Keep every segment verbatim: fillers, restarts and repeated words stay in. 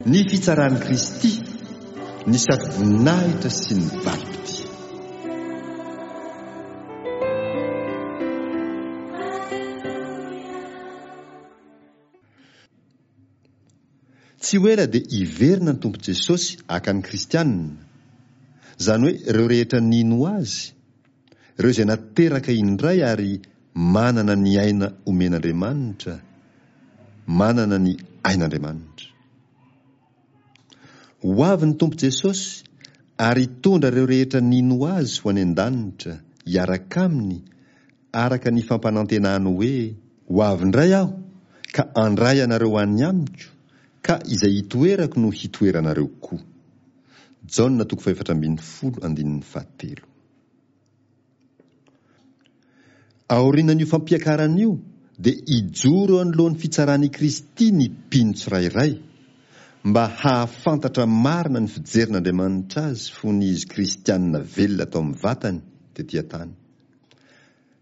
Ny fitsaran'i Kristy, ny satroboninahitra sy ny valim-pitia. Tsy ho ela dia hiverina ny Tompo Jesosy haka ny kristianina, izany hoe ireo rehetra nino Azy, ireo izay nateraka indray ary manana ny aina omen'Andriamanitra, manana ny ain'Andriamanitra. Ho avy ny Tompo Jesosy ary hitondra ireo rehetra nino Azy ho any an-danitra hiaraka Aminy araka ny fampanantenany hoe, Ho avy indray Aho ka handray anareo any Amiko, ka izay hitoerako no hitoeranareo koa. Jaona toko fahefatra ambin'ny folo andininy fahatelo. Aorianan'io fampiakarana io dia hijoro eo anoloan'ny fitsaran'i Kristy ny mpino tsirairay, mba hahafantatra marina ny fijerin'Andriamanitra azy fony izy kristianina velona tao amin'ny vatany tety an-tany.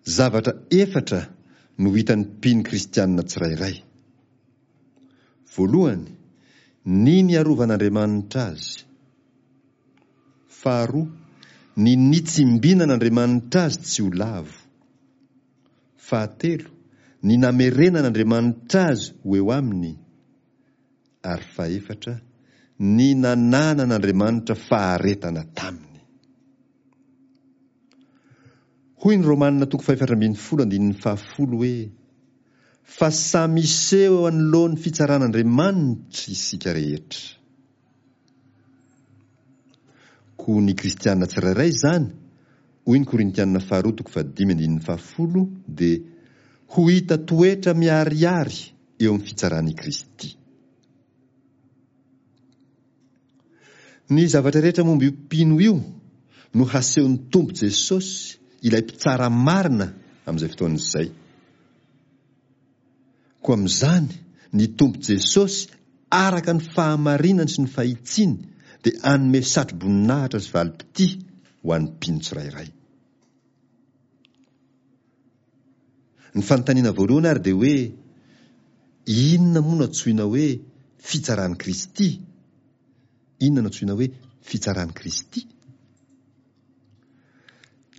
Zavatra efatra no hitan'ny mpino kristianina tsirairay. Voalohany, ny niarovan'Andriamanitra azy. Faharoa, ny nitsimbinan'Andriamanitra azy tsy ho lavo. Fahatelo, ny namerenan'Andriamanitra azy ho eo aminy. Ary fahefatra, ny nananan'Andriamanitra faharetana taminy. Hoy ny Romana toko fahefatra ambin'ny folo andininy fahafolo hoe, Fa samy hiseho eo anoloan'ny fitsaran'Andriamanitra isika rehetra. Koa ny kristiana tsirairay izany, hoy ny Korintiana faharoa toko fahadimy andininy fahafolo, dia ho hita toetra miharihary eo amin'ny fitsaran'i Kristy. Ny zavatra rehetra momba io mpino io no hasehon'ny Tompo Jesosy, ilay mpitsara marina amin'izay fotoana izay. Koa amin'izany, ny Tompo Jesosy, araka ny fahamarinany sy ny fahitsiany, dia hanome satroboninahitra sy valim-pitia ho an'ny mpino tsirairay. Ny fanontaniana voalohany ary dia hoe, inona moa no antsoina hoe fitsaran'i Kristy? Inona no antsoina hoe fitsaran'i Kristy?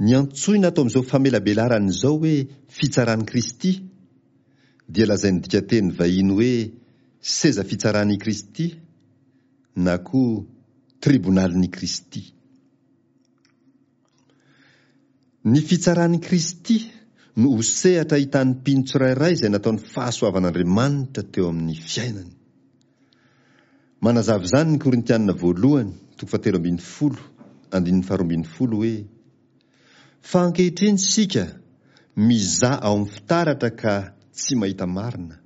Ny antsoina ato amin'izao famelabelarana izao hoe fitsaran'i Kristy dia lazain'ny dikanteny vahiny hoe seza fitsaran'i Kristy na koa tribonalin'i Kristy. Ny fitsaran'i Kristy no ho sehatra ahitan'ny mpino tsirairay izay nataon'ny fahasoavan'Andriamanitra teo amin'ny fiainany. Manazava izany ny Korintiana voalohany, toko fahatelo ambin'ny folo, andininy faharoa ambin'ny folo hoe, Fa ankehitriny isika mizaha ao amin'ny fitaratra ka tsy mahita marina.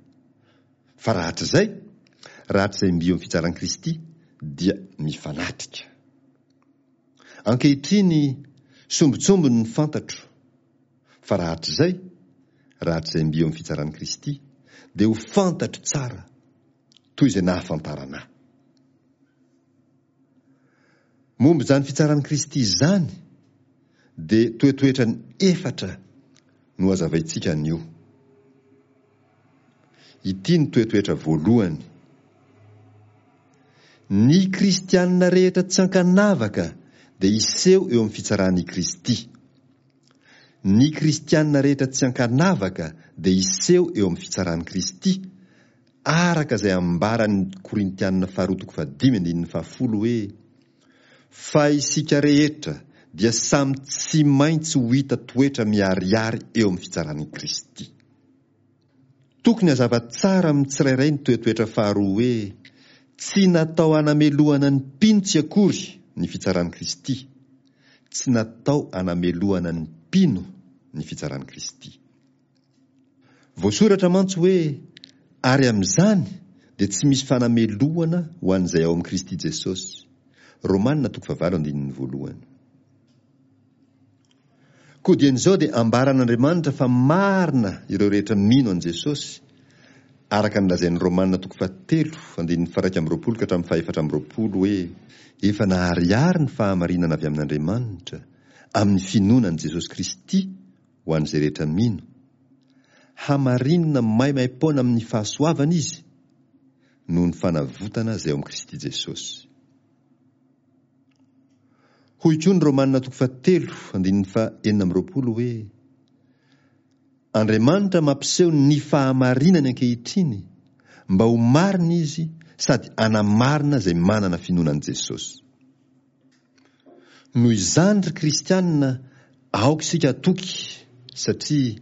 Fa rahatrizay, rahatrizay mby eo amin'ny fitsaran'i Kristy, dia mifanatrika. Ankehitriny, sombintsombiny ny fantatro, fa rahatrizay, rahatrizay mby eo amin'ny fitsaran'i Kristy, dia ho fantatro tsara, toy izay nahafantarana ahy. Momba izany fitsaran'i Kristy izany, dia toetoetrany efatra no hazavaintsika anio. Ity ny toetoetra voalohany. Ny kristianina rehetra tsy ankanavaka dia hiseho eo amin'ny fitsaran'i Kristy. Ny kristianina rehetra tsy ankanavaka dia hiseho eo amin'ny fitsaran'i Kristy, araka izay ambaran'ny Korintianina faharoa toko fahadimy andininy fahafolo hoe, Fa isika rehetra dia samy tsy maintsy ho hita toetra miharihary eo amin'ny fitsaran'i Kristy. Tokony hazava tsara amin'ny tsirairay ny toetoetra faharoa hoe tsy natao hanamelohana ny mpino tsy akory ny fitsaran'i Kristy. Tsy natao hanamelohana ny mpino ny fitsaran'i Kristy. Voasoratra mantsy hoe, Ary amin'izany dia tsy misy fanamelohana ho an'izay ao amin'i Kristy Jesosy. Romana toko fahavalo andininy voalohany. Koa dieny izao dia ambaran'Andriamanitra fa marina ireo rehetra mino an'i Jesosy, araka ny lazain'ny Romana toko fahatelo andininy faharaika amby roapolo ka hatramin'ny fahefatra amby roapolo hoe, Efa naharihary ny fahamarinana avy amin'Andriamanitra, amin'ny finoana an'i Jesosy Kristy ho an'izay rehetra mino. Hamarinina maimaim-poana amin'ny fahasoavana izy, noho ny fanavotana izay ao amin'i Kristy Jesosy. Hoy koa ny Romana toko fahatelo andininy faha enina amby roapolo hoe, Andriamanitra mampiseho ny fahamarinany ankehitriny mba ho marina izy sady hanamarina izay manana finoana an'i Jesosy. Noho izany ry kristianina aoka isika hatoky satria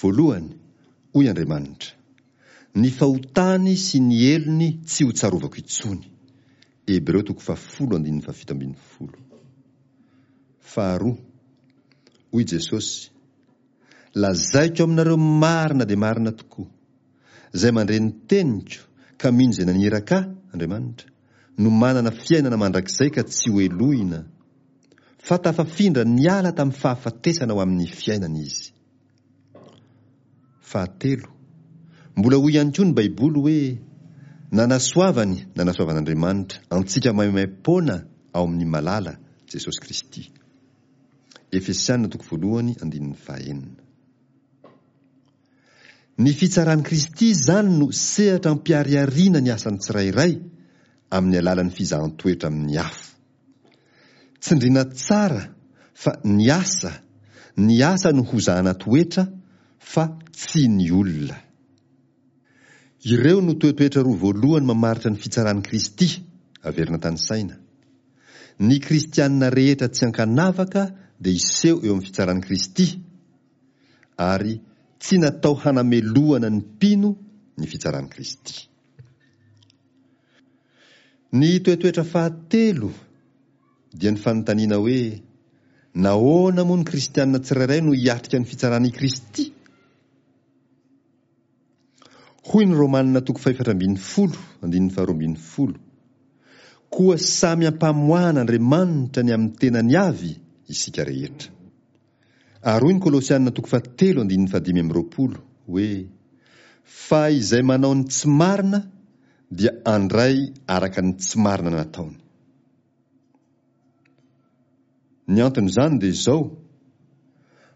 voalohany hoy Andriamanitra, ny fahotany sy ny helony tsy ho tsarovako intsony. Hebreo toko fahafolo andininy fahafito ambin'ny folo. Faharoa, hoy Jesosy, lazaiko aminareo marina dia marina tokoa, izay mandre ny teniko ka mino izay naniraka ahy, Andriamanitra, no manana fiainana mandrakizay ka tsy ho helohina, fa tafafindra niala tamin'ny fahafatesana ho amin'ny fiainana izy. Fahatelo, mbola hoy ihany koa ny Baiboly hoe, nanasoavany, nanasoavan'Andriamanitra, antsika maimaim-poana ao amin'ny malala, Jesosy Kristy. Efesiana toko voalohany andininy fahenina. Ny fitsaran'i Kristy izany no sehatra ampiharihariana ny asan'ny tsirairay amin'ny alalan'ny fizahan-toetra amin'ny afo. Tsindriana tsara fa ny asa, ny asa no hozahana toetra fa tsy ny olona. Ireo no toetoetra roa voalohany mamaritra ny fitsaran'i Kristy, averina tanisaina. Ny kristianina rehetra tsy ankanavaka dia hiseho eo amin'ny fitsaran'i Kristy, ary tsy natao hanamelohana ny mpino ny fitsaran'i Kristy. Ny toetoetra fahatelo dia ny fanontaniana hoe, nahoana moa ny kristianina tsirairay no hiatrika ny fitsaran'i Kristy? Hoy ny Romana toko fahefatra ambin'ny folo andininy faharoa ambin'ny folo, koa samy ampamoahan'Andriamanitra ny amin'ny tenany avy isika rehetra. Ary hoy ny Kolosiana toko fahatelo andininy fahadimy amby roapolo hoe, fa izay manao ny tsy marina dia andray araka ny tsy marina nataony. Ny anton'izany dia izao,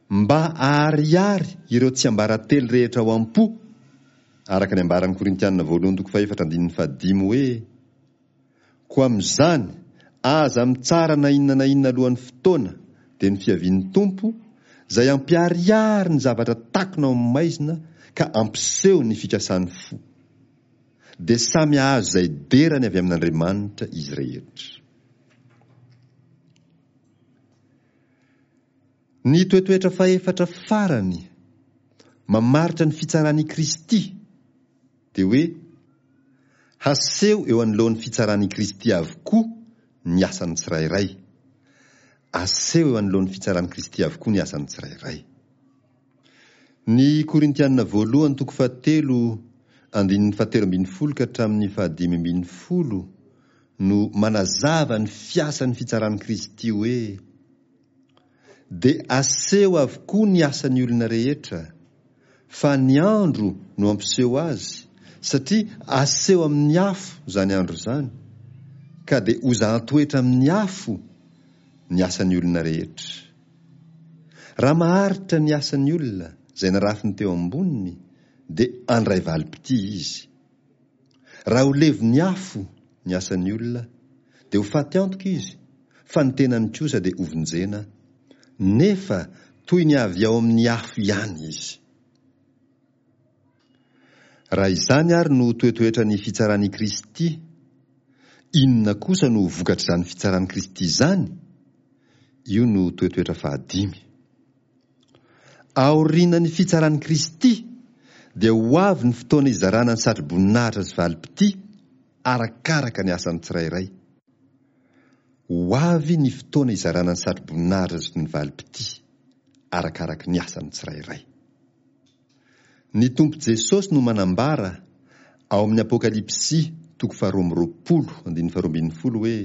mba aharihary ireo tsiambaratelo rehetra ao am-po, araka ny ambaran'ny Korintiana voalohany toko fahefatra andininy fahadimy hoe, koa amin'izany aza mitsara na inona na inona alohan'ny fotoana, dia ny fiavian'ny Tompo, izay ampiharihary ny zavatra takona ao amin'ny maizina ka ampiseho ny fikasan'ny fo. Dia samy hahazo izay derany avy amin'Andriamanitra izy rehetra. Ny toetoetra fahefatra farany mamaritra ny fitsaran'i Kristy dia hoe haseho eo anoloan'ny fitsaran'i Kristy avokoa ny asan'ny tsirairay. Aseho eo anoloan'ny fitsaran'i Kristy avokoa ny asan'ny tsirairay. Ny Korintiana voalohany toko fahatelo andininy fahatelo ambin'ny folo ka hatramin'ny fahadimy ambin'ny folo no manazava ny fiasan'ny fitsaran'i Kristy hoe, dia aseho avokoa ny asan'ny olona rehetra, fa ny andro no ampiseho azy, satria aseho amin'ny afo izany andro izany, ka dia hozahan-toetra amin'ny afo ny asan'ny olona rehetra. Raha maharitra ny asan'ny olona izay narafiny teo amboniny, dia andray valim-pitia izy. Raha ho levon'ny afo ny asan'ny olona, dia ho faty antoka izy, fa ny tenany kosa dia hovonjena, nefa toy ny avy ao amin'ny afo ihany izy. Raha izany ary no toetoetra ny fitsaran'i Kristy, inona kosa no vokatr'izany fitsaran'i Kristy izany? Io no toetoetra fahadimy. Aorian'ny fitsaran'i Kristy dia ho avy ny fotoana izarana ny satroboninahitra sy valim-pitia arakaraka ny asan'ny tsirairay. Ho avy ny fotoana izarana ny satroboninahitra sy ny valim-pitia arakaraka ny asan'ny tsirairay. Ny Tompo Jesosy no manambara ao amin'ny Apokalypsy toko faharoa amby roapolo andininy faharoa ambin'ny folo hoe,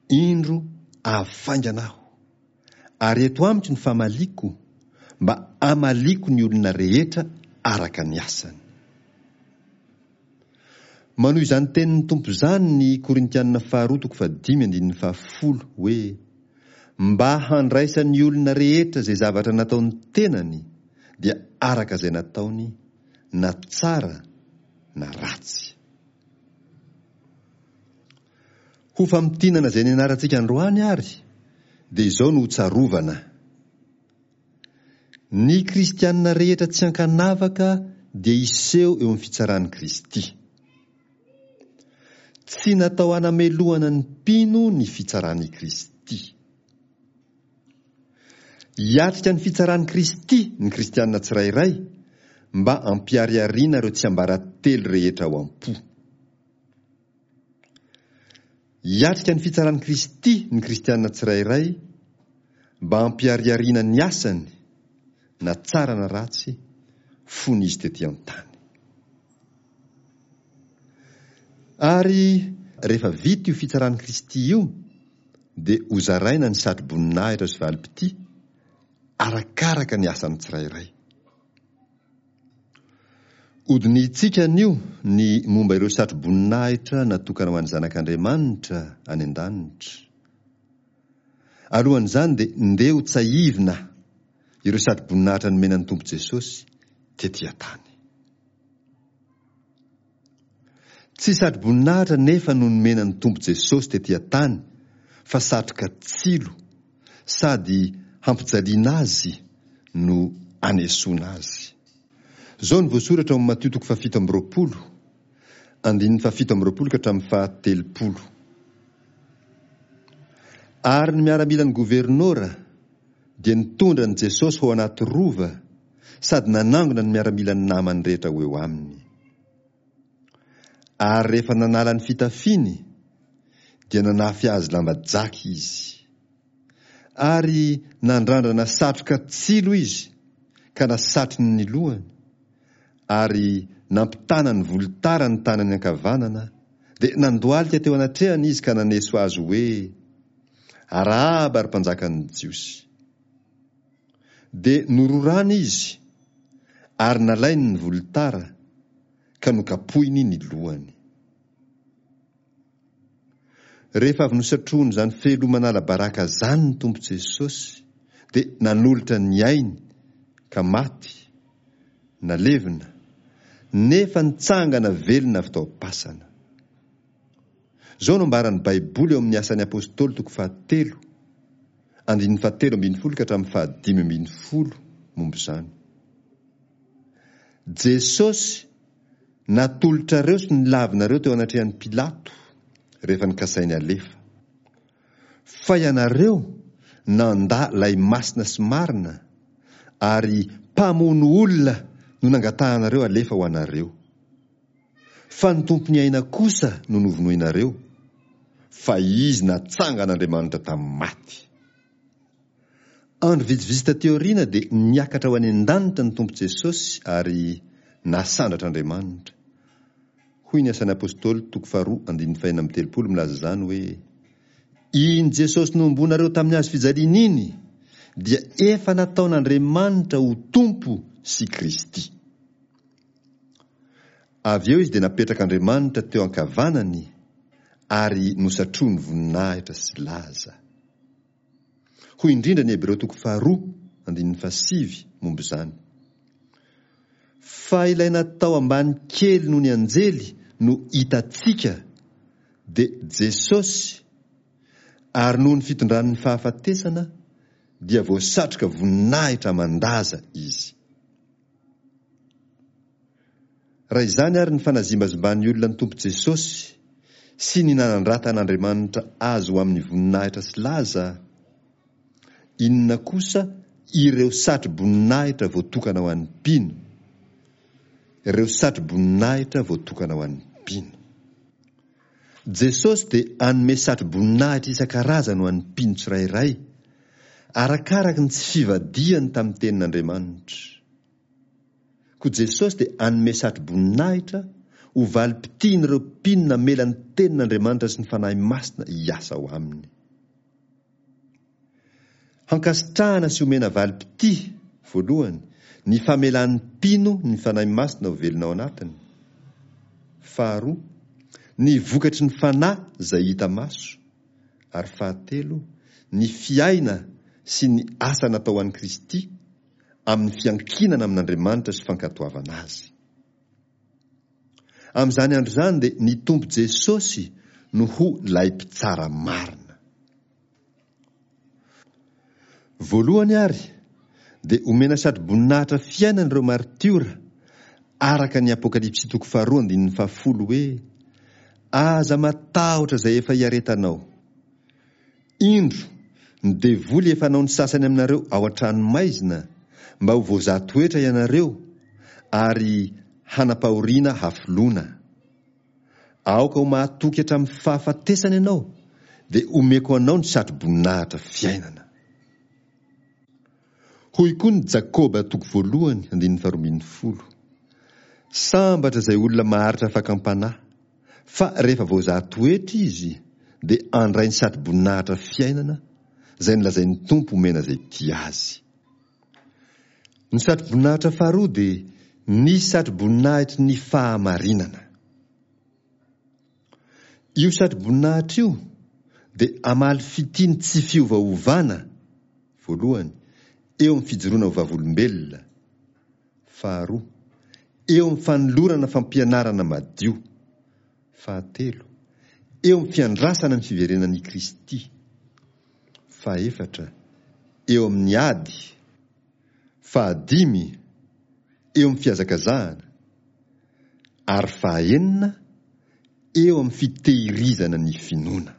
indro avy faingana aho, ary eto amiko ny famaliko, mba hamaliko ny olona rehetra araka ny asany. Manohy izany tenin'ny Tompo izany ny Korintiana faharoa toko fahadimy andininy fahafolo hoe, mba handraisan'ny olona rehetra izay zavatra nataon'ny tenany dia araka izay nataony, na tsara na ratsy. Ho famintinana izay nianarantsika androany ary dia izao no hotsarovana. Ny kristianina rehetra tsy ankanavaka dia hiseho eo amin'ny fitsaran'i Kristy. Tsy natao hanamelohana ny mpino ny fitsaran'i Kristy. Hiatrika ny fitsaran'i Kristy ny kristianina tsirairay mba hampiharihariana ireo tsiambaratelo rehetra ao am-po. Hiatrika ny fitsaran'i Kristy ny kristianina tsirairay mba hampiharihariana ny asany, na tsara na ratsy, fony izy tety an-tany. Ary rehefa vita io fitsaran'i Kristy io, dia hozaraina ny satroboninahitra sy valim-pitia, arakaraka ny asan'ny tsirairay. Hodinihintsika anio ny momba ireo satroboninahitra natokana ho an'ny Zanak'Andriamanitra any an-danitra. Alohan'izany dia ndeha hotsahivina ireo satroboninahitra nomena ny Tompo Jesosy tety an-tany. Tsy satroboninahitra nefa no nomena ny Tompo Jesosy tety an-tany fa satroka tsilo sady hampijaliana azy no anesoana azy. Izao no voasoratra ao amin'ny Matio toko fahafito amby roapolo, andininy fahafito amby roapolo ka hatramin'ny fahatelopolo. Ary ny miaramilan'ny governora dia nitondra an'i Jesosy ho ao anaty rova sady nanangona ny miaramilan'ny namany rehetra ho eo aminy. Ary rehefa nanala ny fitafiany dia nanafy azy lamba jaky izy. Ary nandrandrana satroka tsilo izy ka nasatriny ny lohany, ary nampitana ny volotara ny tanany ankavanana, dia nandohalika teo anatrehany izy ka naneso azy hoe, Arahaba ry mpanjakan'ny Jiosy. Dia nororany izy, ary nalainy ny volotara, ka nokapohiny ny lohany. Rehefa avy nosatrohiny izany fehiloha manala baraka izany ny Tompo Jesosy, dia nanolotra ny ainy ka maty, nalevina, nefa nitsangana velona avy tao am-pasana. Izao no ambaran'ny Baiboly ao amin'ny Asan'ny Apostoly toko fahatelo, andininy fahatelo ambin'ny folo ka hatramin'ny fahadimy ambin'ny folo momba izany. Jesosy natolotrareo sy nilavinareo teo anatrehan'i Pilato rehefa nikasainy alefa. Fa ianareo nandà lay masina sy marina ary mpamono olona no nangatahanareo alefa ho anareo. Fa ny Tompon'ny aina kosa no novonoinareo, fa Izy natsangan'Andriamanitra tamin'ny maty. Andro vitsivitsy taty aoriana dia niakatra ho any an-danitra ny Tompo Jesosy ary nasandratr'Andriamanitra. Hoy ny Asan'ny Apostoly toko faharoa andininy fahenina amby telopolo milaza izany hoe, Iny Jesosy nohomboanareo tamin'ny hazo fijaliana iny dia efa nataon'Andriamanitra ho Tompo sy Kristy. Avy eo izy dia napetrak'Andriamanitra teo ankavanany ary nosatroiny voninahitra sy laza. Hoy indrindra ny Hebreo toko faharoa andininy fahasivy momba izany. Fa ilay natao ambany kely noho ny anjely no hitantsika dia Jesosy, ary noho ny fitondran'ny fahafatesana dia voasatroka voninahitra aman-daza izy. Raha izany ary ny fanazimbazimban'ny olona ny Tompo Jesosy sy ny nanandratan'Andriamanitra azy ho amin'ny voninahitra sy laza, inona kosa ireo satroboninahitra voatokana ho an'ny mpino? Ireo satroboninahitra voatokana ho an'ny mpino. Jesosy dia hanome satroboninahitra isan-karazany ho an'ny mpino tsirairay, arakaraky ny tsy fivadihany tamin'ny tenin'Andriamanitra. Koa Jesosy dia hanome satroboninahitra ho valim-pitian'ireo mpino namela ny tenin'Andriamanitra sy ny Fanahy Masina hiasa ao aminy. Hankasitrahana sy omena valim-pitia, voalohany, ny famelan'ny mpino ny Fanahy Masina ho velona ao anatiny. Faharoa, ny vokatry ny Fanahy izay hita maso. Ary fahatelo, ny fiaina sy ny asa natao ho an'i Kristy amin'ny fiankinana amin'Andriamanitra sy fankatoavana Azy. Amin'izany andro izany dia ny Tompo Jesosy no ho lay mpitsara marina. Voalohany ary dia omena satroboninahitra fiainana ireo maritiora araka ny Apokalypsy toko faharoa andininy fahafolo hoe: Aza matahotra izay efa iaretanao. Indro, ny devoly efa hanao ny sasany aminareo ao an-trano maizina mba ho voazaha toetra ianareo ary hanam-pahoriana hafoloana. Aoka ho mahatoky hatramin'ny fahafatesana ianao, dia omeko anao ny satroboninahitra fiainana. Hoy koa ny Jakoba toko voalohany andininy faharoa ambin'ny folo: Sambatra izay olona maharitra fakam-panahy, fa rehefa voazaha toetra izy dia handray ny satroboninahitra fiainana izay nolazain'ny Tompo omena izay tia azy. Ny satroboninahitra faharoa dia ny satroboninahitry ny fahamarinana. Io satroboninahitra io dia hamaly fitia ny tsy fiovaovana, voalohany, eo amin'ny fijoroana ho vavolombelona, faharoa, eo amin'ny fanolorana fampianarana madio, fahatelo, eo amin'ny fiandrasana ny fiverenan'i Kristy, fahefatra, eo amin'ny ady, fahadimy, eo amin'ny fihazakazahana, ary fahaenina, eo amin'ny fitehirizana ny finoana.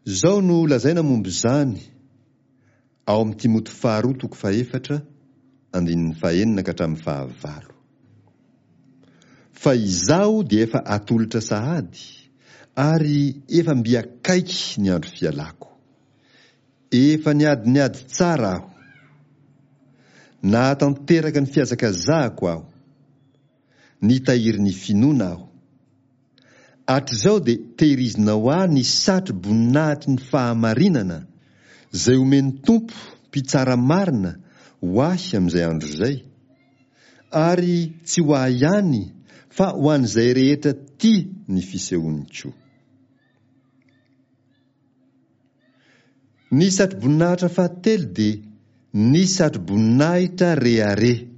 Izao no lazaina momba izany ao amin'ny Timoty faharoa toko fahefatra andininy fahenina ka hatramin'ny fahavalo. Fa izaho dia efa atolotra sahady, ary efa mby akaiky ny andro fialako. Efa niady ny ady tsara aho. Nahatanteraka ny fihazakazahako aho. Nitahiry ny finoana aho. Hatrizao dia tehirizinao ahy ny satro-boninahitry ny fahamarinana, izay omen'ny Tompo, Mpitsara marina, ho ahy amin'izay andro izay. Ary tsy ho ahy ihany, fa ho an'izay rehetra tia ny fisehoany koa. Ny satroboninahitra fahatelo dia ny satroboninahitra rehareha.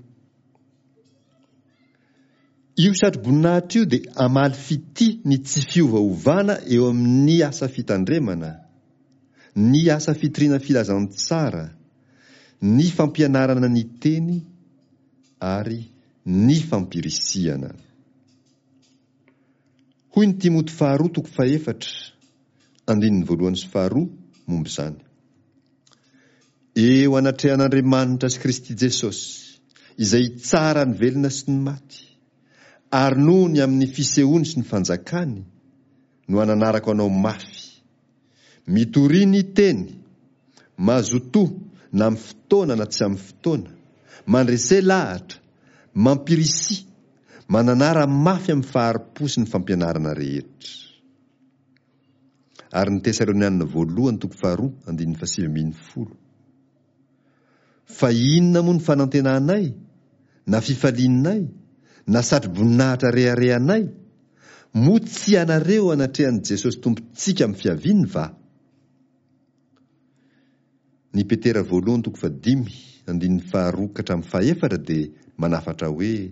Io satroboninahitra io dia hamaly fitia ny tsy fiovaovana eo amin'ny asa fitandremana, ny asa fitoriana filazantsara, ny fampianarana ny teny ary ny fampirisihana. Hoy ny Timoty faharoa toko fahefatra, andininy voalohany sy faharoa momba izany. Eo anatrehan'Andriamanitra sy Kristy Jesosy, izay hitsara ny velona sy ny maty, ary noho ny amin'ny fisehoany sy ny fanjakany, no ananarako anao mafy. Mitoria ny teny, mazotoa na amin'ny fotoana na tsy amin'ny fotoana, mandrese lahatra, mampirisia, mananara mafy amin'ny fahari-po sy ny fampianarana rehetra. Ary ny Tesalonianina voalohany toko faharoa andininy fahasivy ambin'ny folo. Fa inona moa ny fanantenanay, na fifalianay, na satroboninahitra reharehanay? Moa tsy ianareo anatrehan'i Jesosy Tompontsika amin'ny fiaviany va? Ny Petera voalohany toko fahadimy andininy faharoa ka hatramin'ny fahefatra dia manafatra hoe: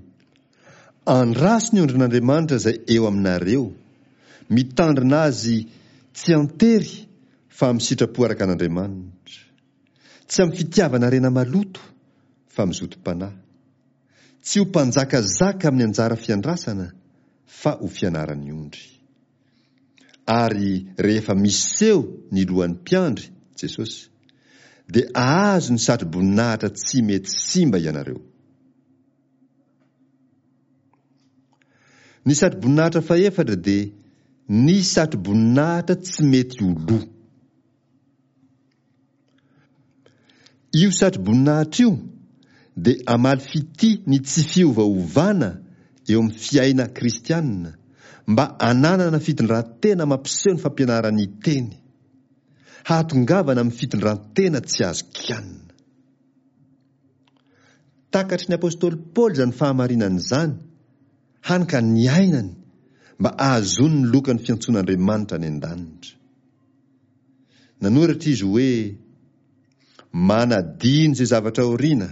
Andraso ny ondrin'Andriamanitra izay eo aminareo, mitandrina azy tsy an-tery fa amin'ny sitrapo araka an'Andriamanitra, tsy amin'ny fitiavana harena maloto fa amin'ny zotom-panahy, tsy ho mpanjakazaka amin'ny anjara fiandrasana fa ho fianaran'ny ondry. Ary rehefa miseho ny lohan'ny mpiandry, Jesosy, dia ahazo ny satroboninahitra tsy mety simba ianareo. Ny satroboninahitra fahefatra dia ny satroboninahitra tsy mety ho lo. Io satroboninahitra io dia hamaly fitia ny tsy fiovaovana eo amin'ny fiaina kristianina mba hananana fitondran-tena mampiseho ny fampianaran'ny Teny, hahatongavana amin'ny fitondran-tena tsy azo kianina. Takatry ny apostoly Paoly izany fahamarinana izany, hany ka niainany mba hahazoany ny lokan'ny fiantsoan'Andriamanitra any an-danitra. Nanoratra izy hoe, Manadino izay zavatra aoriana,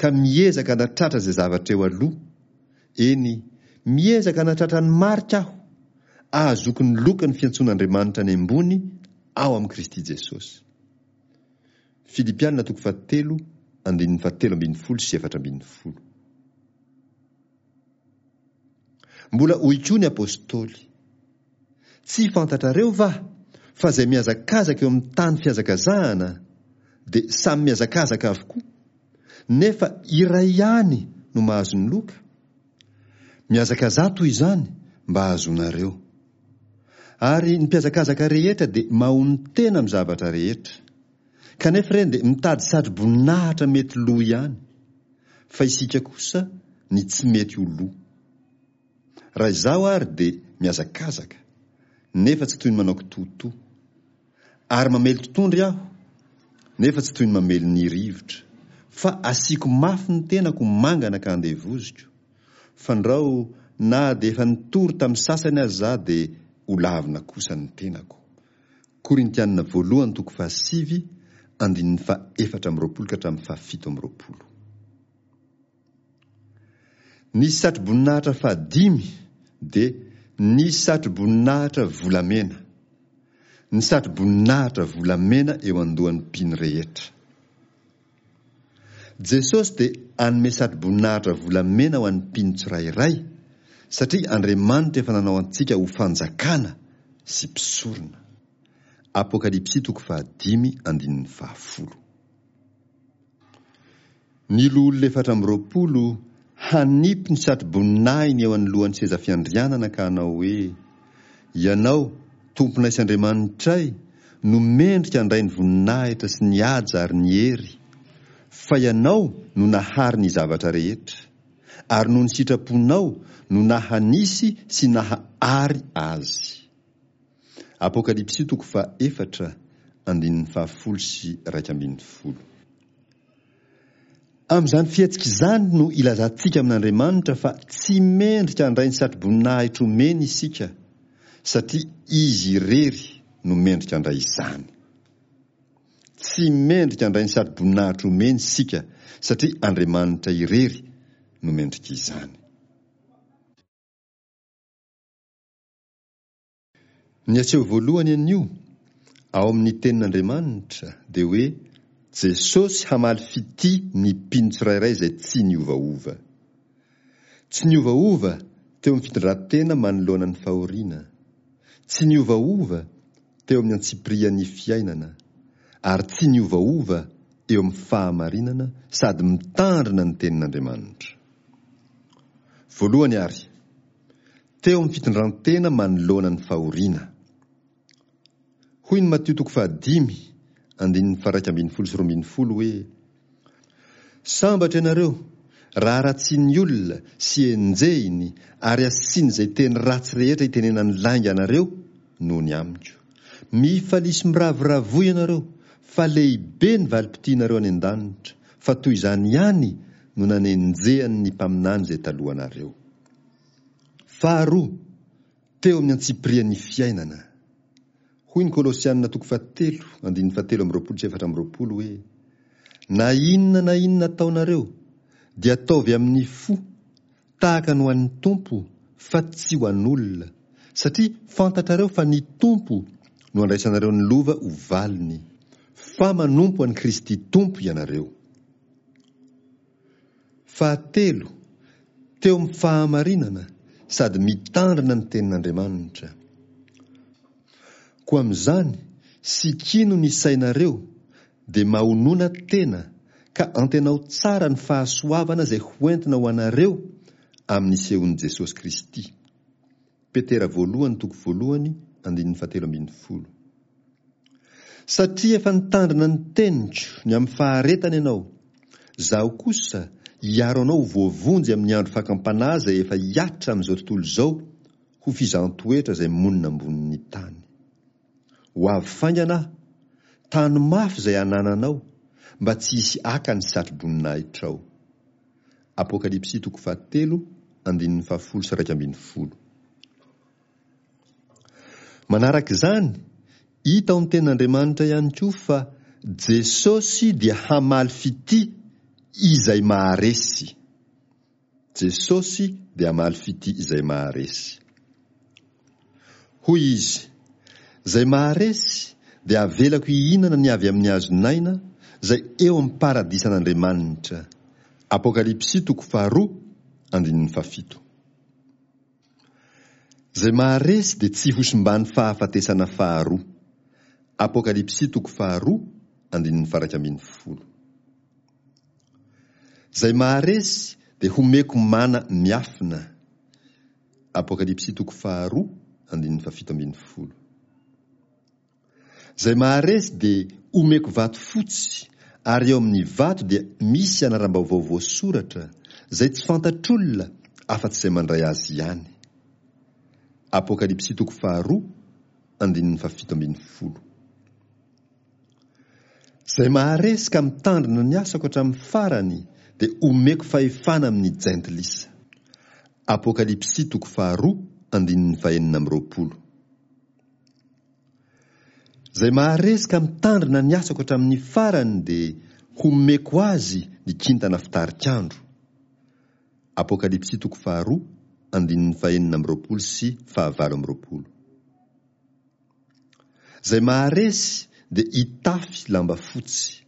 ka miezaka hanatratra izay zavatra eo aloha, eny, miezaka hanatratra ny marika aho, ahazoako ny lokan'ny fiantsoan'Andriamanitra any ambony ao amin'i Kristy Jesosy. Filipiana toko fahatelo andininy fahatelo ambin'ny folo sy efatra ambin'ny folo. Mbola hoy koa ny apostoly, Tsy fantatrareo va fa izay mihazakazaka eo amin'ny tany fihazakazahana dia samy mihazakazaka avokoa, nefa iray ihany no mahazo ny loka? Mihazakazaha toy izany mba hahazoanareo. Ary ny mpihazakazaka rehetra dia mahonon-tena amin'ny zavatra rehetra. Kanefa ireny dia mitady satro-boninahitra mety lo ihany, fa isika kosa ny tsy mety ho lo. Raha izaho àry dia mihazakazaka, nefa tsy toy ny manao kitoatoa. Ary mamely totohondry aho, nefa tsy toy ny mamely ny rivotra, fa asiako mafy ny tenako mangana ka andevoziko, fandrao na dia efa nitory tamin'ny sasany aza izaho dia holavina kosa ny tenako. Korintiana voalohany toko fahasivy andininy faha efatra amby roapolo ka hatramin'ny fahafito amby roapolo. Ny satroboninahitra fahadimy dia ny satroboninahitra volamena. Ny satroboninahitra volamena eo andohan'ny mpino rehetra. Jesosy dia hanome satroboninahitra volamena ho an'ny mpino tsirairay, satria Andriamanitra efa nanao antsika ho fanjakana sy mpisorona. Apokalypsy toko fahadimy andininy fahafolo. Ny loholona efatra amby roapolo hanipy ny satroboninahiny eo anoloan'ny seza fiandrianana ka hanao hoe, Ianao, Tomponay sy Andriamanitray, no mendrika handray ny voninahitra sy ny haja ary ny hery, fa Ianao no nahary ny zavatra rehetra, ary noho ny sitraponao no naha-nisy sy naha-ary azy. Apokalypsy toko faha-efatra, andininy fahafolo sy iraika ambin'ny folo. Amin'izany fihetsika izany no ilazantsika amin'Andriamanitra fa tsy mendrika handray ny satroboninahitra omeny isika, satria Izy irery no mendrika handray izany. Tsy mendrika handray ny satroboninahitra omeny isika, satria Andriamanitra irery no mendrika izany. Ny aseho voalohany anio, ao amin'ny Tenin'Andriamanitra, dia hoe Jesosy hamaly fitia ny mpino tsirairay izay tsy niovaova. Tsy niovaova teo amin'ny fitondran-tena manoloana ny fahoriana. Tsy niovaova teo amin'ny antsipirian'ny fiainana. Ary tsy niovaova eo amin'ny fahamarinana sady mitandrina ny Tenin'Andriamanitra. Voalohany ary, teo amin'ny fitondran-tena manoloana ny fahoriana. Hoy ny Matio toko fahadimy, andininy faharaika ambin'ny folo sy roa ambin'ny folo hoe, Sambatra ianareo, raha ratsian'ny olona sy enjehiny ary asiany izay teny ratsy rehetra itenenany lainga anareo noho ny amiko. Mifalia sy miravoravoa ianareo, fa lehibe ny valim-pitianareo any an-danitra, fa toy izany ihany no nanenjehany ny mpaminany izay talohanareo. Faharoa, teo amin'ny antsipirian'ny fiainana. Hoy ny Kolosiana toko fahatelo, andininy fahatelo amby roapolo sy efatra amby roapolo hoe, Na inona na inona ataonareo, dia ataovy amin'ny fo, tahaka ny ho an'ny Tompo, fa tsy ho an'olona, satria fantatrareo fa ny Tompo no andraisanareo ny lova ho valiny, fa manompo an'i Kristy Tompo ianareo. Fahatelo, teo amin'ny fahamarinana sady mitandrina ny tenin'Andriamanitra. Koa amin'izany, sikino ny sainareo, dia mahonona tena, ka antenao tsara ny fahasoavana izay hoentina ho anareo amin'ny sehon'i Jesosy Kristy. Petera voalohany toko voalohany andininy fahatelo ambin'ny folo. Satria efa nitandrina ny teniko ny amin'ny faharetana ianao, Izaho kosa hiaro anao ho voavonjy amin'ny andro fakam-panahy izay efa hihatra amin'izao tontolo izao ho fizahan-toetra izay monina ambonin'ny tany. Ho avy faingana Aho, tano mafy izay anananao, mba tsy hisy haka ny satro-boninahitrao. Apokalypsy toko fahatelo andininy fahafolo sy iraika ambin'ny folo. Manaraka izany, hita ao amin'ny Tenin'Andriamanitra ihany koa fa Jesosy dia hamaly fitia izay maharesy. Jesosy dia hamaly fitia izay maharesy. Hoy izy, Izay maharesy dia avelako hihinana ny avy amin'ny hazon'aina izay eo amin'ny paradisan'Andriamanitra. Apokalypsy toko faharoa andininy fahafito. Izay maharesy dia tsy hosimban'ny fahafatesana faharoa. Apokalypsy toko faharoa andininy faha-iraika ambin'ny folo. Izay maharesy dia homeko mana miafina. Apokalypsy toko faharoa andininy fahafito ambin'ny folo. Izay maharesy dia omeko vato fotsy, ary eo amin'ny vato dia misy anaram-baovao voasoratra, izay tsy fantatr'olona afa-tsy izay mandray azy ihany. Apokalypsy toko faharoa andininy fahafito ambin'ny folo. Izay maharesy ka mitandrina ny asako hatramin'ny farany dia omeko fahefana amin'ny jentilisa. Apokalypsy toko faharoa andininy fahenina amby roapolo. Izay maharesy ka mitandrina ny asako hatramin'ny farany dia homeko azy ny kintana fitarik'andro. Apokalypsy toko faharoa andininy fahenina amby roapolo sy fahavalo amby roapolo. Izay maharesy dia hitafy lamba fotsy.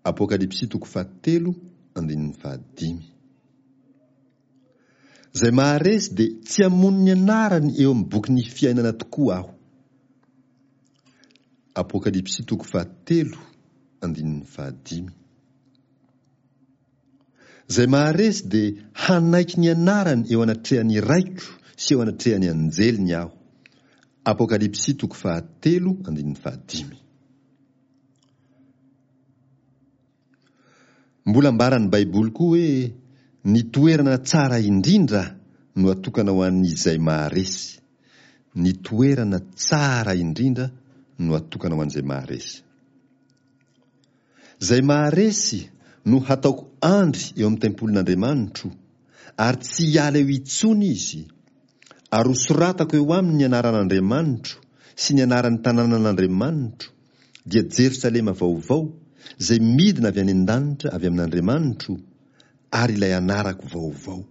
Apokalypsy toko fahatelo andininy fahadimy. Izay maharesy dia tsy hamono ny anarany eo amin'ny bokin'ny fiainana tokoa aho. Apokalypsy toko fahatelo andininy fahadimy. Izay maharesy dia hanaiky ny anarany eo anatrehan'ny Raiko sy eo anatrehan'ny anjeliny aho. Apokalypsy toko fahatelo andininy fahadimy. Mbola ambaran'ny Baiboly koa hoe ny toerana tsara indrindra no atokana ho an'izay maharesy. Ny toerana tsara indrindra no atokana ho an'izay maharesy. Izay maharesy no hataoko andry eo amin'ny tempolin'Andriamanitro, ary tsy hiala eo intsony izy, ary hosoratako eo aminy ny anaran'Andriamanitro sy ny anaran'ny tanànan'Andriamanitro, dia Jerosalema vaovao, izay midina avy any an-danitra avy amin'Andriamanitro, ary ilay anarako vaovao.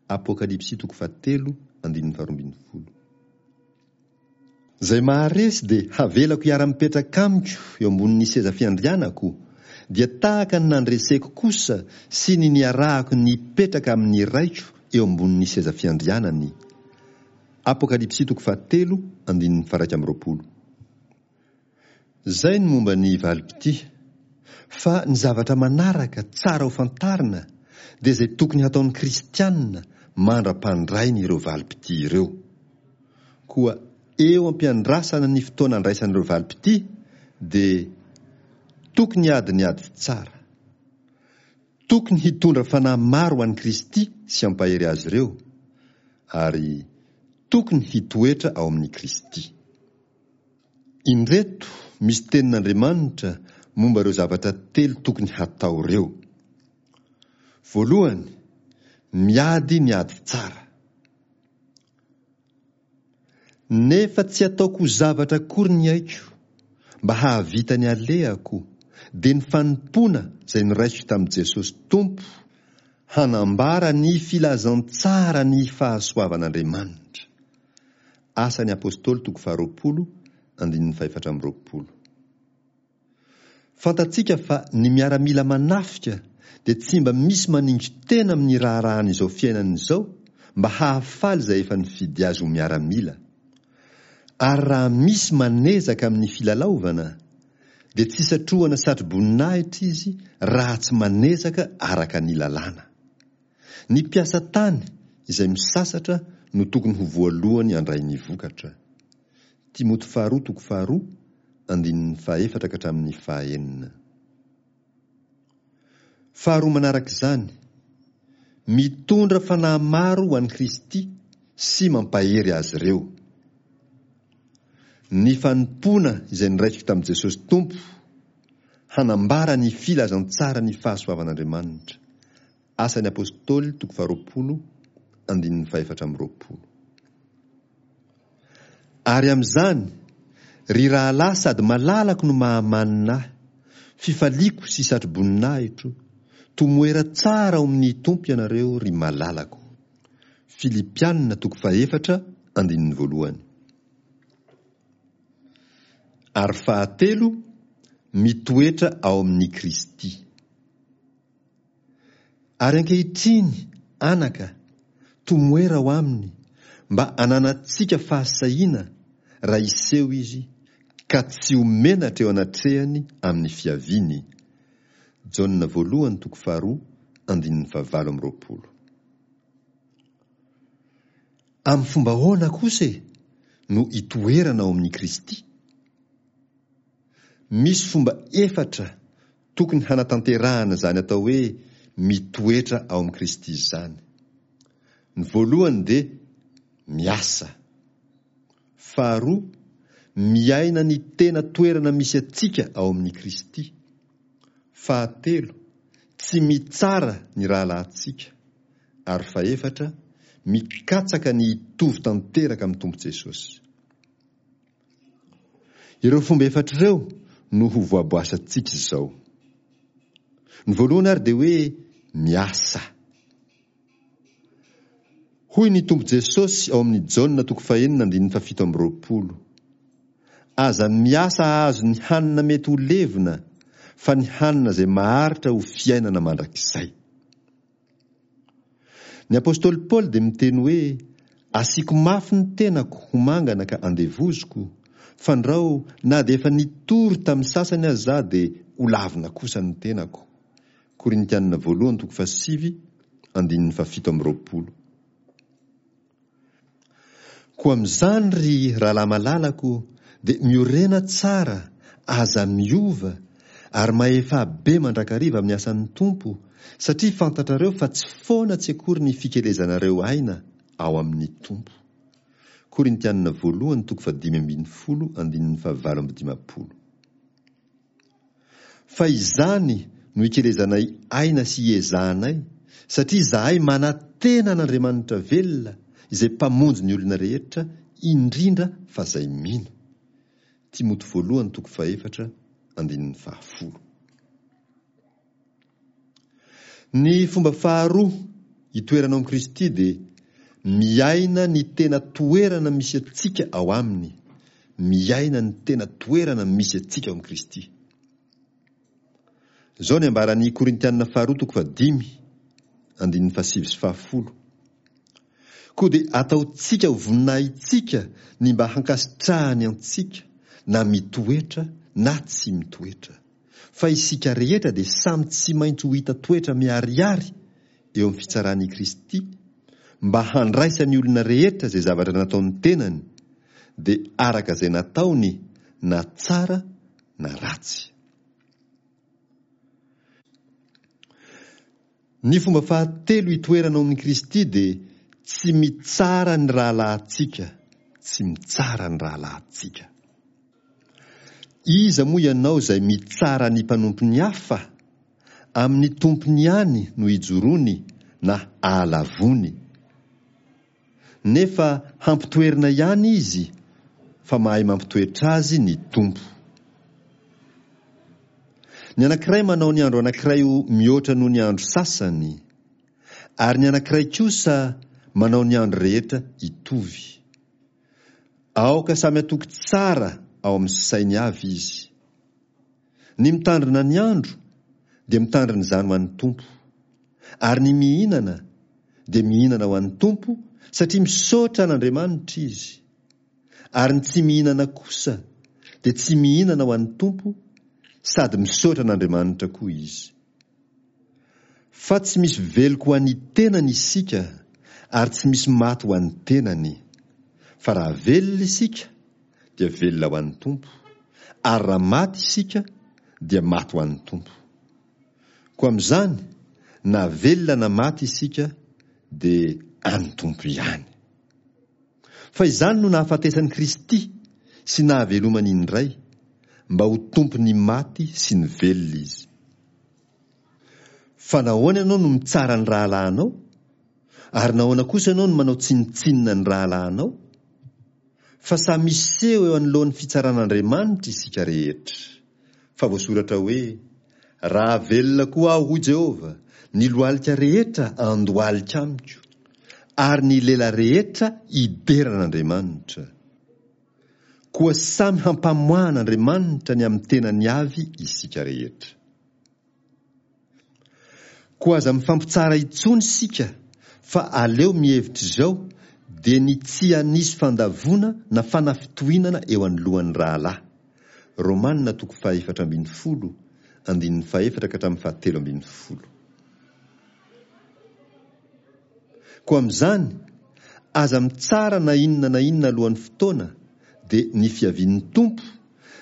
Apokalypsy toko fahatelo andininy faharoa ambin'ny folo. Izay maharesy dia havelako hiara-mipetraka amiko eo ambonin'ny seza fiandrianako, dia tahaka ny nandreseko kosa sy ny niarahako nipetraka amin'ny Raiko eo ambonin'ny seza fiandrianany. Apokalypsy toko fahatelo andininy faha-iraika amby roapolo. Izay ny momba ny valim-pitia. Fa ny zavatra manaraka tsara ho fantarina dia izay tokony hataon'ny kristiana mandra-pandrainy ireo valim-pitia ireo. Koa eo am-piandrasana ny fotoana andraisan'ireo valim-pitia dia tokony hiady ny ady tsara. Tokony hitondra fanahy maro ho an'i Kristy sy hampahery azy ireo, ary tokony hitoetra ao amin'i Kristy. Indreto misy tenin'Andriamanitra momba ireo zavatra telo tokony hatao ireo. Voalohany, miady ny ady tsara. Nefa tsy ataoko ho zavatra akory ny aiko, mba hahavita ny alehako, dia ny fanompoana izay noraisiko tamin'i Jesosy Tompo, hanambara ny filazantsara ny fahasoavan'Andriamanitra. Asan'ny Apostoly toko faharoapolo, andininy fahefatra amby roapolo. Fantatsika fa ny miaramila manafika dia tsy mba misy maningo-tena amin'ny raharahan'izao fiainana izao mba hahafaly izay efa nifidy azy ho miaramila. Ary raha misy manezaka amin'ny filalaovana, dia tsy satrohana satroboninahitra izy raha tsy manezaka araka ny lalàna. Ny mpiasa tany izay misasatra no tokony ho voalohany handray ny vokatra. Timoty faharoa toko faharoa andininy fahefatra ka hatramin'ny fahaenina. Faharoa manaraka izany, mitondra fanahy maro ho an'i Kristy sy mampahery azy ireo. Ny fanompoana izay noraisiko tamin'i Jesosy Tompo hanambara ny filazantsara ny fahasoavan'Andriamanitra. Asan'ny Apostoly toko faharoapolo andininy fahefatra amby roapolo. Ary amin'izany, ry rahalahy sady malalako no mahamanina ahy, fifaliako sy satroboninahitro, tomoera tsara ao amin'ny Tompo ianareo, ry malalako. Filipiana toko fahefatra andininy voalohany. Ary fahatelo, mitoetra ao amin'i Kristy. Ary ankehitriny, anaka, tomoera ao aminy, mba hananantsika fahasahiana raha hiseho izy, ka tsy ho menatra eo anatrehany amin'ny fiaviany. Jaona voalohany toko faharoa andininy fahavalo amby roapolo. Amin'ny fomba ahoana kosa e no itoerana ao amin'i Kristy? Misy fomba efatra tokony hanatanterahana izany atao hoe mitoetra ao amin'i Kristy izany. Ny voalohany dia miasa. Faharoa, miaina ny tena toerana misy antsika ao amin'i Kristy. Fahatelo, tsy mitsara ny rahalahintsika. Ary fahefatra, mikatsaka ny hitovy tanteraka amin'ny Tompo Jesosy. Ireo fomba efatra ireo no ho voaboasantsika izao. Ny voalohany ary dia hoe miasa. Hoy ny Tompo Jesosy ao amin'ny Jaona toko fahenina andininy fahafito amby roapolo. Aza miasa hahazo ny hanina mety ho levona, fa ny hanina izay maharitra ho fiainana mandrakizay. Ny apostoly Paoly dia miteny hoe asiako mafy ny tenako ho mangana ka andevoziko, fandrao na dia efa nitory tamin'ny sasany aza za dia ho lavina kosa ny tenako. Korintianina voalohany toko fahasivy andininy fahafito amby roapolo. Koa amin'izany ry rahalahy malalako dia miorena tsara, aza miova, ary mahefa be mandrakariva amin'ny asan'ny Tompo, satria fantatrareo fa tsy foana tsy akory ny fikelezanareo aina ao amin'ny Tompo. Korintianina voalohany toko fahadimy ambin'ny folo andininy fahavalo amby dimampolo. Fa izany no ikelezanay aina sy iezahanay, satria izahay manantena an'Andriamanitra velona, izay mpamonjy ny olona rehetra, indrindra fa izay mino. Timoty voalohany toko fahefatra andininy fahafolo. Ny fomba faharoa itoerana ao amin'i Kristy dia miaina ny tena toerana misy antsika ao aminy. Miaina ny tena toerana misy antsika ao amin'i Kristy. Izao ny ambaran'ny Korintianina faharoa toko fahadimy andininy fahasivy sy fahafolo. Koa dia ataontsika ho voninahitsika ny mba hankasitrahany antsika, na mitoetra na tsy mitoetra. Fa isika rehetra dia samy tsy maintsy ho hita toetra miharihary eo amin'ny fitsaran'i Kristy, mba handraisan'ny olona rehetra izay zavatra nataon'ny tenany, dia araka izay nataony, na tsara na ratsy. Ny fomba fahatelo itoerana ao amin'i Kristy dia tsy mitsara ny rahalahintsika, tsy mitsara ny rahalahintsika. Iza moa ianao izay mitsara ny mpanompon'ny hafa? Amin'ny tompony ihany no ijoroany na ahalavony. Nefa hampitoerina ihany izy, fa mahay mampitoetra azy ny Tompo. Ny anankiray manao ny andro anankiray ho mihoatra noho ny andro sasany, ary ny anankiray kosa manao ny andro rehetra hitovy. Aoka samy hatoky tsara ao amin'ny sainy avy izy. Ny mitandrina ny andro dia mitandrina izany ho an'ny Tompo, ary ny mihinana dia mihinana ho an'ny Tompo, satria misaotra an'Andriamanitra izy. Ary ny tsy mihinana kosa dia tsy mihinana ho an'ny Tompo, sady misaotra an'Andriamanitra koa izy. Fa tsy misy veloko ho an'ny tenany isika, ary tsy misy maty ho an'ny tenany. Fa raha velona isika dia velona ho an'ny Tompo, ary raha maty isika dia maty ho an'ny Tompo. Koa amin'izany, na velona na maty isika dia an'ny Tompo ihany. Fa izany no nahafatesan'i Kristy sy nahavelomany indray, mba ho Tompon'ny maty sy ny velona Izy. Fa nahoana ianao no mitsara ny rahalahinao? Ary nahoana kosa ianao no manao tsinontsinona ny rahalahinao? Fa samy miseho eo anoloan'ny fitsaran'Andriamanitra isika rehetra. Fa voasoratra hoe, Raha velona koa aho, hoy Jehovah, ny lohalika rehetra andohalika amiko, ary ny lela rehetra hidera an'Andriamanitra. Koa samy hampamoahan'Andriamanitra ny amin'ny tenany avy isika rehetra. Koa aza mifampitsara intsony isika, fa aleo mihevitra izao, dia ny tsy hanisy fandavoana na fanafitohinana eo anoloan'ny rahalahy. Romana toko fahefatra ambin'ny folo, andininy fahefatra ka hatramin'ny fahatelo ambin'ny folo. Koa amin'izany, aza mitsara na inona na inona alohan'ny fotoana, dia ny fiavian'ny Tompo,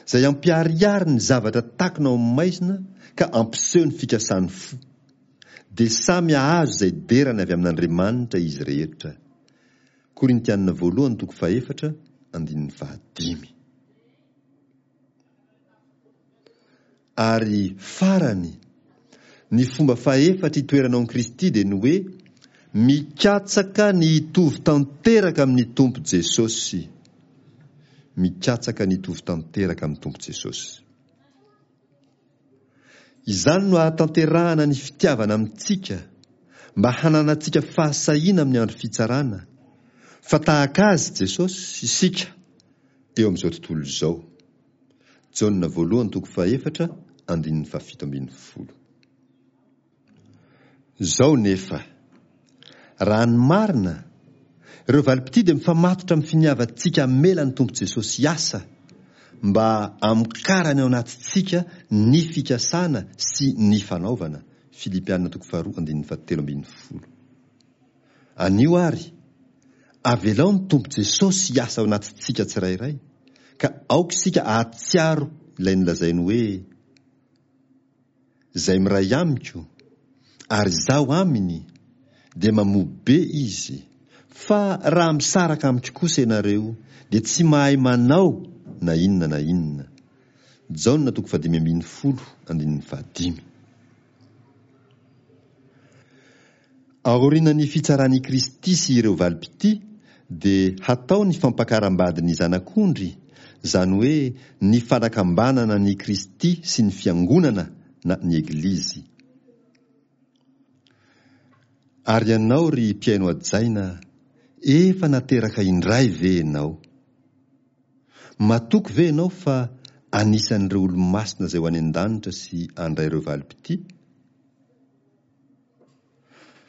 izay hampiharihary ny zavatra takona ao amin'ny maizina ka hampiseho ny fikasan'ny fo. Dia samy hahazo izay derany avy amin'Andriamanitra izy rehetra. Korintiana voalohany toko fahefatra, andininy fahadimy. Ary farany, ny fomba fahefatra itoeranao amin'i Kristy dia ny hoe mikatsaka ny hitovy tanteraka amin'ny Tompo Jesosy. Mikatsaka ny hitovy tanteraka amin'ny Tompo Jesosy. Izany no ahatanterahana ny fitiavana amintsika, mba hananantsika fahasahiana amin'ny andro fitsarana, fa tahaka Azy, Jesosy, isika eo amin'izao tontolo izao. Jaona voalohany toko fahefatra andininy fahafito ambin'ny folo. Izao nefa, raha ny marina, ireo valim-pitia dia mifamatotra amin'ny finiavantsika hamela ny Tompo Jesosy hiasa mba hamokarany ao anatintsika ny fikasana sy ny fanaovana, Filipiana toko faharoa andininy fahatelo ambin'ny folo. Anio àry, avelao ny Tompo Jesosy hiasa ao anatintsika tsirairay, ka aoka isika hahatsiaro ilay nolazainy hoe, Izay miray amiko, ary izaho aminy, dia mamoa be izy, fa raha misaraka amiko kosa ianareo, dia tsy mahay manao na inona na inona. Jaona toko fahadimy ambin'ny folo andininy fahadimy. Aorianan'ny fitsaran'i Kristy sy ireo valim-pitia dia hatao ny fampakaram-badin'ny Zanak'ondry, izany hoe ny fanakambanana an'i Kristy sy ny Fiangonana na ny Eglizy. Ary ianao ry mpihaino hajaina, efa nateraka indray ve ianao? Matoky ve ianao fa anisan'ireo olo-masina izay ho any an-danitra sy handray ireo valim-pitia?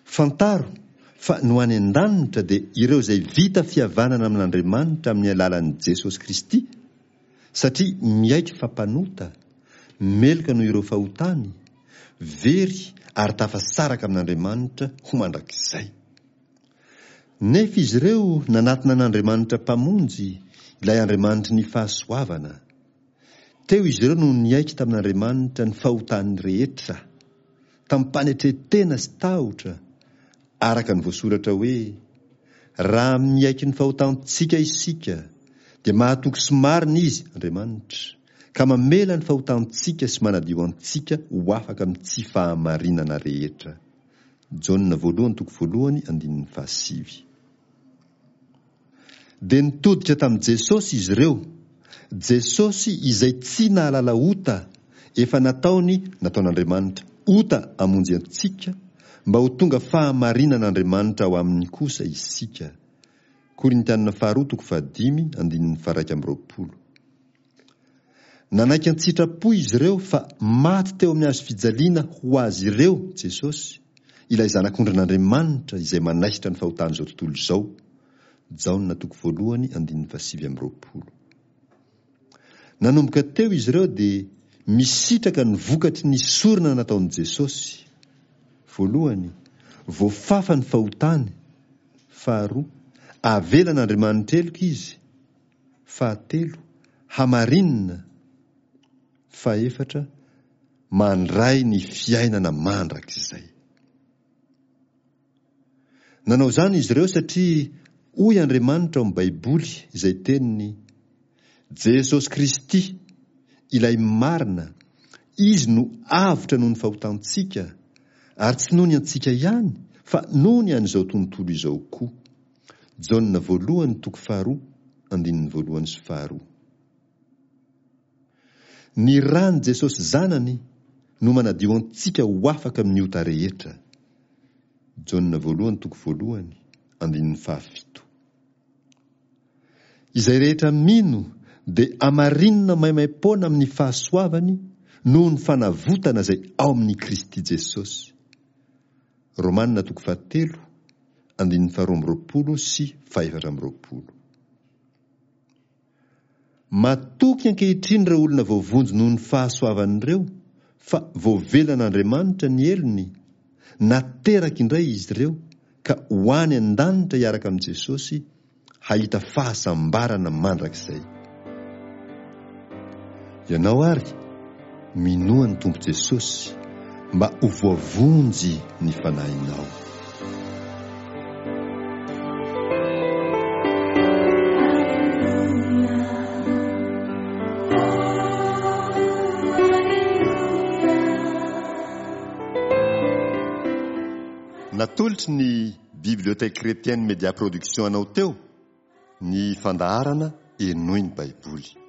Fantaro fa ny ho any an-danitra dia ireo izay vita fihavanana amin'Andriamanitra amin'ny alalan'i Jesosy Kristy, satria miaiky fa mpanota, meloka noho ireo fahotany, very ary tafasaraka amin'Andriamanitra ho mandrakizay. Nefa izy ireo nanatona an'Andriamanitra Mpamonjy, ilay Andriamanitry ny fahasoavana. Teo izy ireo no niaiky tamin'Andriamanitra ny fahotany rehetra, tamim-panetren-tena sy tahotra, araka ny voasoratra hoe, Raha miaiky ny fahotantsika isika, dia mahatoky sy marina Izy, Andriamanitra, ka mamela ny fahotantsika sy manadio antsika ho afaka amin'ny tsy fahamarinana rehetra. Jaona voalohany toko voalohany andininy fahasivy. Dia nitodika tamin'i Jesosy izy ireo, Jesosy izay tsy nahalala ota, efa nataony, nataon'Andriamanitra, ota hamonjy antsika, mba ho tonga fahamarinan'Andriamanitra ao aminy kosa isika. Korintiana faharoa toko fahadimy andininy faharaika amby roapolo. Nanaiky an-tsitrapo izy ireo fa maty teo amin'ny hazo fijaliana ho azy ireo Jesosy, ilay Zanak'ondrin'Andriamanitra izay manaisotra ny fahotan'izao tontolo izao. Jaona toko voalohany andininy fahasivy amby roapolo. Nanomboka teo izy ireo dia misitraka ny vokatry ny sorona nataon'i Jesosy. Voalohany, voafafa ny fahotany. Faharoa, avelan'Andriamanitra heloka izy. Fahatelo, hamarinina. Fahefatra, mandray ny fiainana mandrakizay. Nanao izany izy ireo satria hoy Andriamanitra ao amin'ny Baiboly izay teniny, Jesosy Kristy, ilay marina, Izy no avotra noho ny fahotantsika, ary tsy noho ny antsika ihany, fa noho ny an'izao tontolo izao koa. Jaona voalohany toko faharoa andininy voalohany sy faharoa. Ny ran'i Jesosy Zanany no manadio antsika ho afaka amin'ny ota rehetra. Jaona voalohany toko voalohany andininy fahafito. Izay rehetra mino dia amarinina maimaim-poana amin'ny fahasoavany noho ny fanavotana izay ao amin'i Kristy Jesosy. Romana toko fahatelo andininy faharoa amby roapolo sy fahefatra amby roapolo. Matoky ankehitriny ireo olona voavonjy noho ny fahasoavany ireo fa voavelan'Andriamanitra ny helony, nateraka indray izy ireo ka ho any an-danitra hiaraka amin'i Jesosy hahita fahasambarana mandrakizay. Ianao ary, minoa ny Tompo Jesosy mba ho voavonjy ny fanahinao. Natolotry ny Bibliothèque Chrétienne Média Production anao teo ny fandaharana Henoy ny Baiboly.